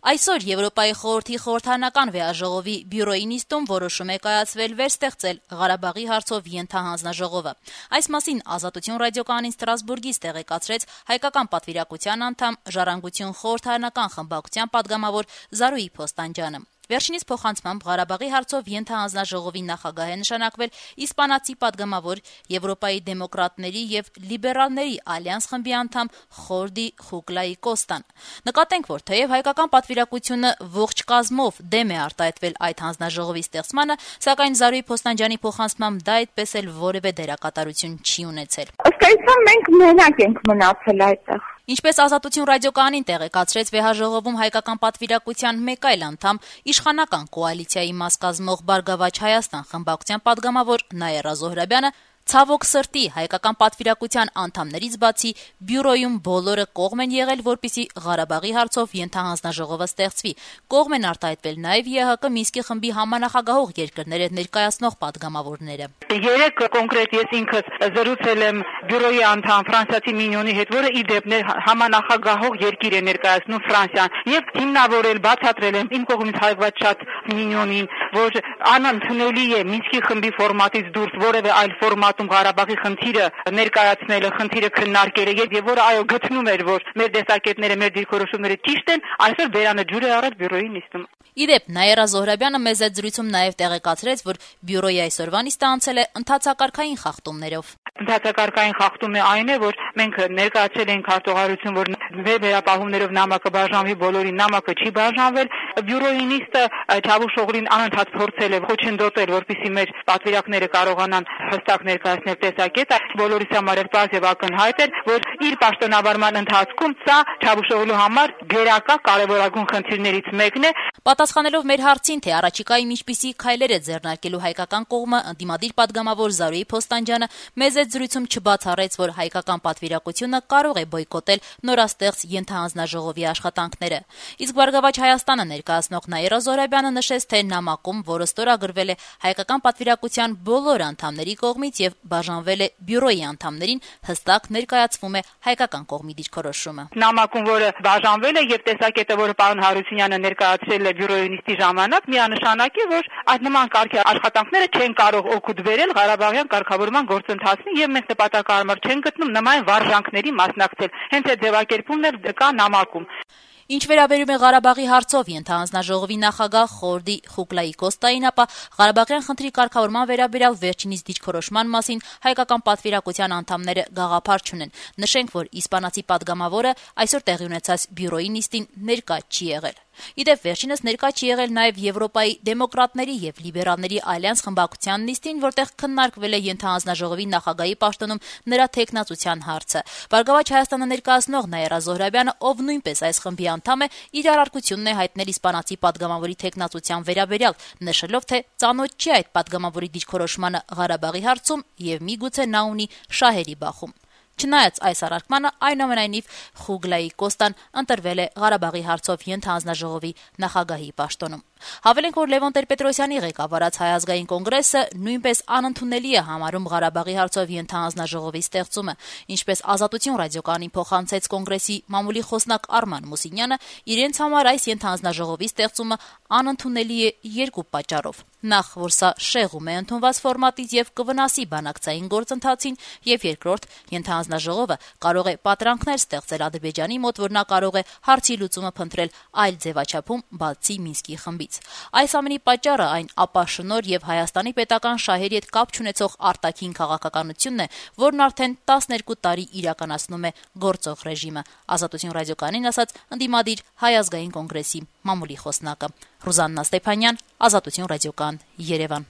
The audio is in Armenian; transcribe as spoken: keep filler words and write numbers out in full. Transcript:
Այսօր Եվրոպայի խորհրդի խորհրդարանական վեաժողովի բյուրոյի նիստում որոշում է կայացվել վերստեղծել Ղարաբաղի հարցով ենթահանձնաժողովը։ Այս մասին Ազատություն ռադիոկայանին Ստրասբուրգից տեղեկացրեց հայկական պատվիրակության անդամ Ժառանգություն խորհրդարանական խմբակցության պատգամավոր Զարուհի Փոստանջյանը։ Վերջինիս փոխանցմամբ Ղարաբաղի հարցով ենթահանձնաժողովի նախագահ է նշանակվել իսպանացի պատգամավոր Եվրոպայի դեմոկրատների եւ լիբերալների ալյանս խմբի անդամ Խորդի Խուկլայի Կոստան։ Նկատենք, որ թեև հայկական պատվիրակությունը ողջ կազմով դեմ է արտահայտվել այդ հանձնաժողովի ստեղծմանը, սակայն Զարուհի Փոստանջյանի փոխանցմամբ դա այդպես էլ որևէ դերակատարություն չի ունեցել։ Ըստ այդմ մենք մենակ ենք մնացել այդտեղ։ Ինչպես Ազատություն ռադիոկայանին տեղեկացրեց վեհաժողովում հայկական պատվիրակության մեկ այլ անդամ իշխանական կոալիցիայի մաս կազմող Բարգավաճ Հայաստան խմբակցության պատգամավոր Նաիրա Զոհրաբյանը, ցավոք սրտի հայկական պատվիրակության անդամներից բացի բյուրոյում բոլորը կողմ են եղել, որպեսզի Ղարաբաղի հարցով ենթահանձնաժողովը ստեղծվի։ Կողմ են արտահայտվել նաև ԵՀԿ Մինսկի խմբի համանախագահող երկրները ներկայացնող պատգամավորները։ Երեք կոնկրետ ես ինքս զրուցել եմ բյուրոյի անդամ ֆրանսիացի Մինյոնի հետ, որը ի դեպ համանախագահող երկիր է ներկայացնում Ֆրանսիան, եւ հիմնավորել, բացատրել եմ իմ կողմից հայտնված շատ Մինյոնին, որ անընդունելի է Մինսկի խմբի ֆորմատից դուրս որևէ այլ ֆորմատ Ղարաբաղի խնդիրը ներկայացնելը, խնդիրը քննարկելը եւ որ այո գտնում էր, որ մեր տեսակետները, մեր դիրքորոշումները ճիշտ են, այսօր բերանը ջուր է առած բյուրոյի նիստում։ Իդեպ Նաիրա Զոհրաբյանը մեծ այդ զրույցում նաև տեղեկացրեց, որ բյուրոյի այսօրվա նիստը անցել է ընթացակարգային խախտումներով։ Ընթացակարգային խախտումը այն է, որ մենք ներկայացրել ենք հարտուղարություն, որ մեր վերապահումներով նամակը բաժանվի, բոլորին նամակը չի բաժանվել։ Բյուրոյի նիստը Չավուշ Օղլին անընդհատ փորձել է խոչընդոտել, որպեսզի մեր պատվիրակները կարողանան հստակ ներկայացնել տեսակետ, բոլորիս համար պարզ եւ ակնհայտ էր, որ իր պաշտոնավարման ընթացքում սա Չավուշ Օղլու համար գերակա կարևորագույն խնդիրներից մեկն է։ Պատասխանելով մեր հարցին, թե առաջիկայում ինչպիսի քայլեր է ձեռնարկելու հայկական կողմը, ընդդիմադիր պատգամավոր Զարուհի Փոստանջյանը մեծ այդ զրույցում չբացառեց, որ հայկական պատվիրակությունը կարող է բոյկոտել նորաստեղծ ենթահանձնաժողովի աշխատանքները։ Իսկ Բարգավաճ Հայաստանը ներկայացնող Նաիրա Զոհրաբյանը նշեց, թե նամակում, որը ստորագրվել է հայկական պատվիրակության բոլոր անդամների կողմից եւ բաժանվել է բյուրոյի անդամներին, հստակ ներկայացվում է հայկական կողմի դիրքորոշումը։ Նամակում, որը բաժանվել է եւ տեսակետը, որը պարոն Հարությունյանը ներկայացրել է բյուրոյի նիստի ժամանակ, միանշանակ է, որ այդ նման կարգի աշխատանքները չեն կարող օգուտ բերել Ղարաբաղյան կարգավորման գործընթացին եւ մենք նպատակահարմար չեն գտնում նման վարժանքների մասնակցել։ Հենց այդ ձևակերպումն էլ կա նամակում։ Ինչ վերաբերում է Ղարաբաղի հարցով ենթահանձնաժողովի նախագահ Խորդի Խուկլայի Կոստային, ապա Ղարաբաղյան խնդրի կարգավորման վերաբերյալ վերջինիս դիրքորոշման մասին հայկական պատվիրակության անդամները գաղափար չունեն։ Նշենք, որ իսպանացի պատգամավորը այսօր տեղի ունեցած բյուրոյի նիստին ներկա չի եղել։ Իդեպ վերջինս ներկա չի եղել նաև Եվրոպայի դեմոկրատների եւ լիբերալների ալյանս խմբակցության նիստին, որտեղ քննարկվել է ենթահանձնաժողովի նախագահի պաշտոնում նրա թեկնածության հարցը։ Բարգավաճ Հայաստանը ներկայացնող Նաիրա Զոհրաբյանը, ով նույնպես այս խմբի անդամ է, իր առարկությունն է հայտնել իսպանացի պատգամավորի թեկնածության վերաբերյալ, նշելով, թե ծանոթ չի այդ պատգամավորի դիրքորոշմանը Ղարաբաղի հարցում եւ միգուցե նա ունի շահերի բախում։ Չնայած այս առարկմանը, այնուամենայնիվ Խուկլայի Կոստան ընտրվել է Ղարաբաղի հարցով ենթահանձնաժողովի նախագահի պաշտոնում։ Հավելենք, որ Լևոն Տեր-Պետրոսյանի ղեկավարած Հայ ազգային կոնգրեսը նույնպես անընդունելի է համարում Ղարաբաղի հարցով ենթահանձնաժողովի ստեղծումը, ինչպես Ազատություն ռադիոկայանին փոխանցեց կոնգրեսի մամուլի խոսնակ Արման Մուսինյանը, իրենց համար այս ենթահանձնաժողովի ստեղծումը անընդունելի է երկու պատճառով։ Նախ, որ սա շեղում է ընդունված ֆորմատից եւ կվնասի բանակցային գործընթացին, եւ երկրորդ, ենթահանձնաժողովը կարող է պատրանքներ ստեղծել Ադրբեջանի մոտ, որ նա կարող է հարցի լուծումը փնտրել այլ ձևաչափում, բացի Մինսկի խմբից։ Այս ամենի պատճառը այն ապաշնոր եւ Հայաստանի պետական շահերի հետ կապ չունեցող արտաքին քաղաքականությունն է, որն արդեն տասներկու տարի իրականացնում է գործող ռեժիմը։ Ազատություն ռադիոկայանին ասաց ընդդիմադիր Հայ ազգային կոնգրեսի մամուլի խոսնակը։ Ռուզաննա Ստեփանյան, Ազատություն ռադիոկայան, Երևան։